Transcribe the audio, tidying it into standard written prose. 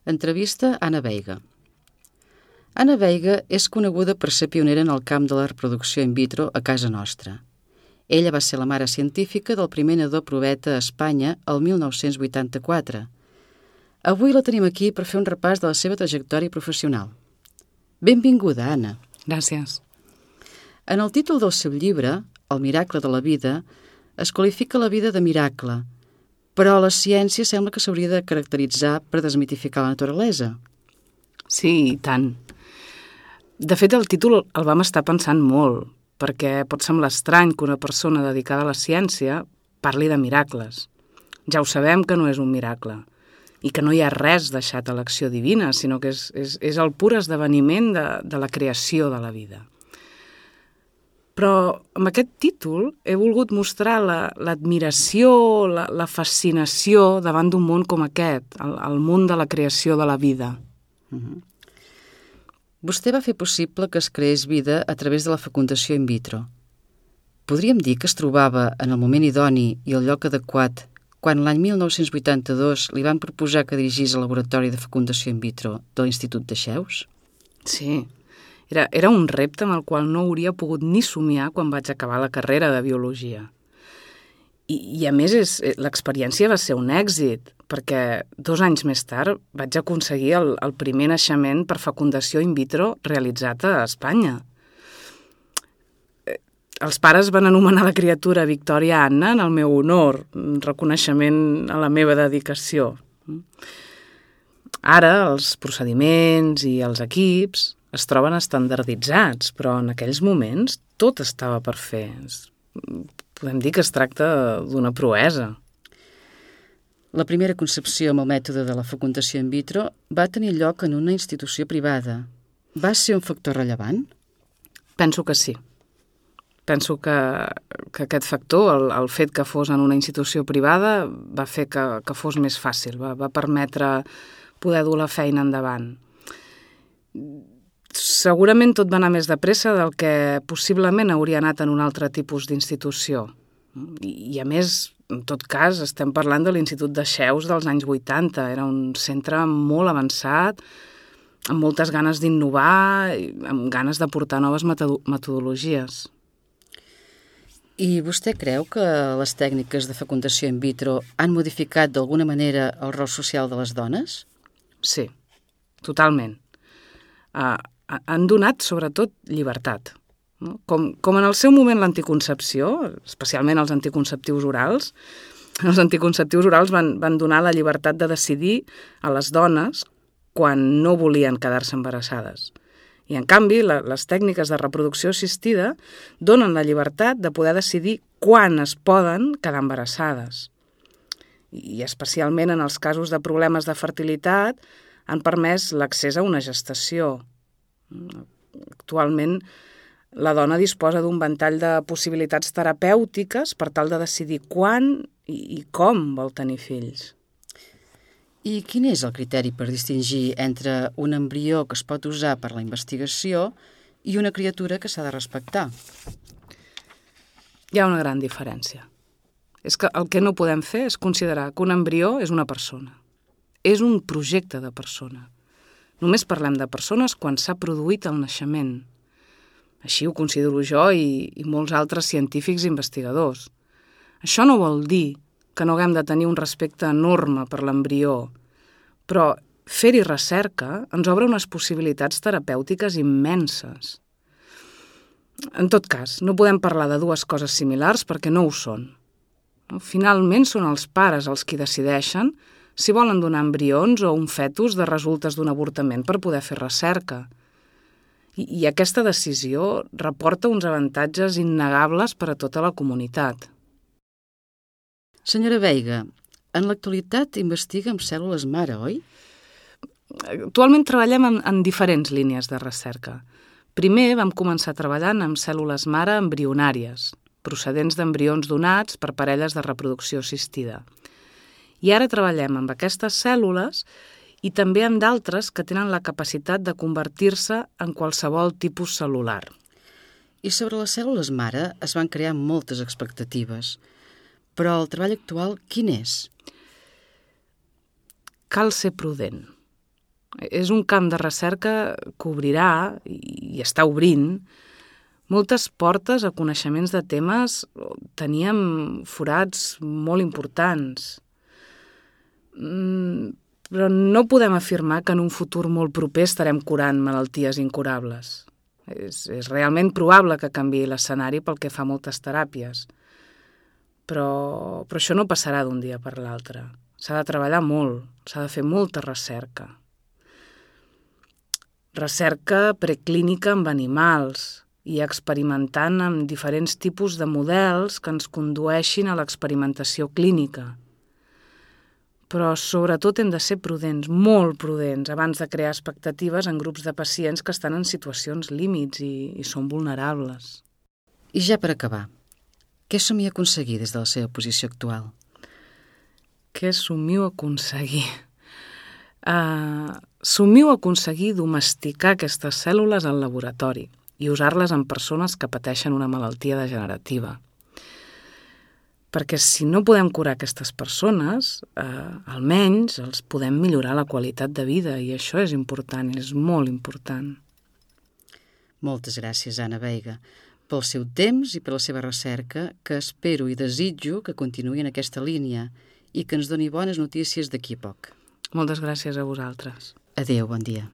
Entrevista a Anna Veiga. Anna Veiga és coneguda per ser pionera en el camp de la reproducció in vitro a casa nostra. Ella va ser la mare científica del primer nadó proveta a Espanya el 1984. Avui la tenim aquí per fer un repàs de la seva trajectòria professional. Benvinguda, Anna. Gràcies. En el títol del seu llibre, El miracle de la vida, es qualifica la vida de miracle, però la ciència sembla que s'hauria de caracteritzar per desmitificar la naturalesa. Sí, i tant. De fet, el títol el vam estar pensant molt, perquè pot semblar estrany que una persona dedicada a la ciència parli de miracles. Ja ho sabem que no és un miracle, i que no hi ha res deixat a l'acció divina, sinó que és el pur esdeveniment de la creació de la vida. Però amb aquest títol he volgut mostrar l'admiració, la fascinació davant d'un món com aquest, el món de la creació de la vida. Vostè va fer possible que es creés vida a través de la fecundació in vitro. Podríem dir que es trobava en el moment idoni i el lloc adequat quan l'any 1982 li van proposar que dirigís el laboratori de fecundació in vitro de l'Institut de Xeus? Sí, era un repte amb el qual no hauria pogut ni somiar quan vaig acabar la carrera de biologia. I a més, l'experiència va ser un èxit, perquè 2 anys més tard vaig aconseguir el primer naixement per fecundació in vitro realitzat a Espanya. Els pares van anomenar la criatura Victòria Anna en el meu honor, un reconeixement a la meva dedicació. Ara els procediments i els equips es troben estandarditzats, però en aquells moments tot estava per fer. Podem dir que es tracta d'una proesa. La primera concepció amb el mètode de la fecundació in vitro va tenir lloc en una institució privada. Va ser un factor rellevant? Penso que sí. Penso que aquest factor, el fet que fos en una institució privada, va fer que fos més fàcil, va permetre poder dur la feina endavant. Segurament tot va anar més de pressa del que possiblement hauria anat en un altre tipus d'institució. I a més, en tot cas, estem parlant de l'Institut de Xeus dels anys 80. Era un centre molt avançat, amb moltes ganes d'innovar, amb ganes de portar noves metodologies. I vostè creu que les tècniques de fecundació in vitro han modificat d'alguna manera el rol social de les dones? Sí, totalment. Han donat, sobretot, llibertat. No? Com en el seu moment l'anticoncepció, especialment els anticonceptius orals, van donar la llibertat de decidir a les dones quan no volien quedar-se embarassades. I, en canvi, les tècniques de reproducció assistida donen la llibertat de poder decidir quan es poden quedar embarassades. I especialment en els casos de problemes de fertilitat han permès l'accés a una gestació. Actualment, la dona disposa d'un ventall de possibilitats terapèutiques per tal de decidir quan i com vol tenir fills. I quin és el criteri per distingir entre un embrió que es pot usar per la investigació i una criatura que s'ha de respectar? Hi ha una gran diferència. És que el que no podem fer és considerar que un embrió és una persona. És un projecte de persona. Només parlem de persones quan s'ha produït el naixement. Així ho considero jo i molts altres científics i investigadors. Això no vol dir que no haguem de tenir un respecte enorme per l'embrió, però fer-hi recerca ens obre unes possibilitats terapèutiques immenses. En tot cas, no podem parlar de dues coses similars perquè no ho són. Finalment són els pares els qui decideixen si volen donar embrions o un fetus de resultes d'un avortament per poder fer recerca. I aquesta decisió reporta uns avantatges innegables per a tota la comunitat. Senyora Veiga, en l'actualitat investiga amb cèl·lules mare, oi? Actualment treballem en diferents línies de recerca. Primer vam començar treballant amb cèl·lules mare embrionàries, procedents d'embrions donats per parelles de reproducció assistida. I ara treballem amb aquestes cèl·lules i també amb d'altres que tenen la capacitat de convertir-se en qualsevol tipus cel·lular. I sobre les cèl·lules mare es van crear moltes expectatives. Però el treball actual, quin és? Cal ser prudent. És un camp de recerca que obrirà, i està obrint, moltes portes a coneixements de temes on teníem forats molt importants. Però no podem afirmar que en un futur molt proper estarem curant malalties incurables. És realment probable que canviï l'escenari pel que fa a moltes teràpies. Però això no passarà d'un dia per l'altre. S'ha de treballar molt, s'ha de fer molta recerca. Recerca preclínica amb animals i experimentant amb diferents tipus de models que ens condueixin a l'experimentació clínica. Però sobretot hem de ser prudents, molt prudents, abans de crear expectatives en grups de pacients que estan en situacions límits i són vulnerables. I ja per acabar, què somia aconseguir des de la seva posició actual? Què somio aconseguir? Somio aconseguir domesticar aquestes cèl·lules al laboratori i usar-les en persones que pateixen una malaltia degenerativa. Perquè si no podem curar aquestes persones, almenys els podem millorar la qualitat de vida, i això és important, és molt important. Moltes gràcies, Anna Veiga, pel seu temps i per la seva recerca, que espero i desitjo que continuï en aquesta línia i que ens doni bones notícies d'aquí a poc. Moltes gràcies a vosaltres. Adéu, bon dia.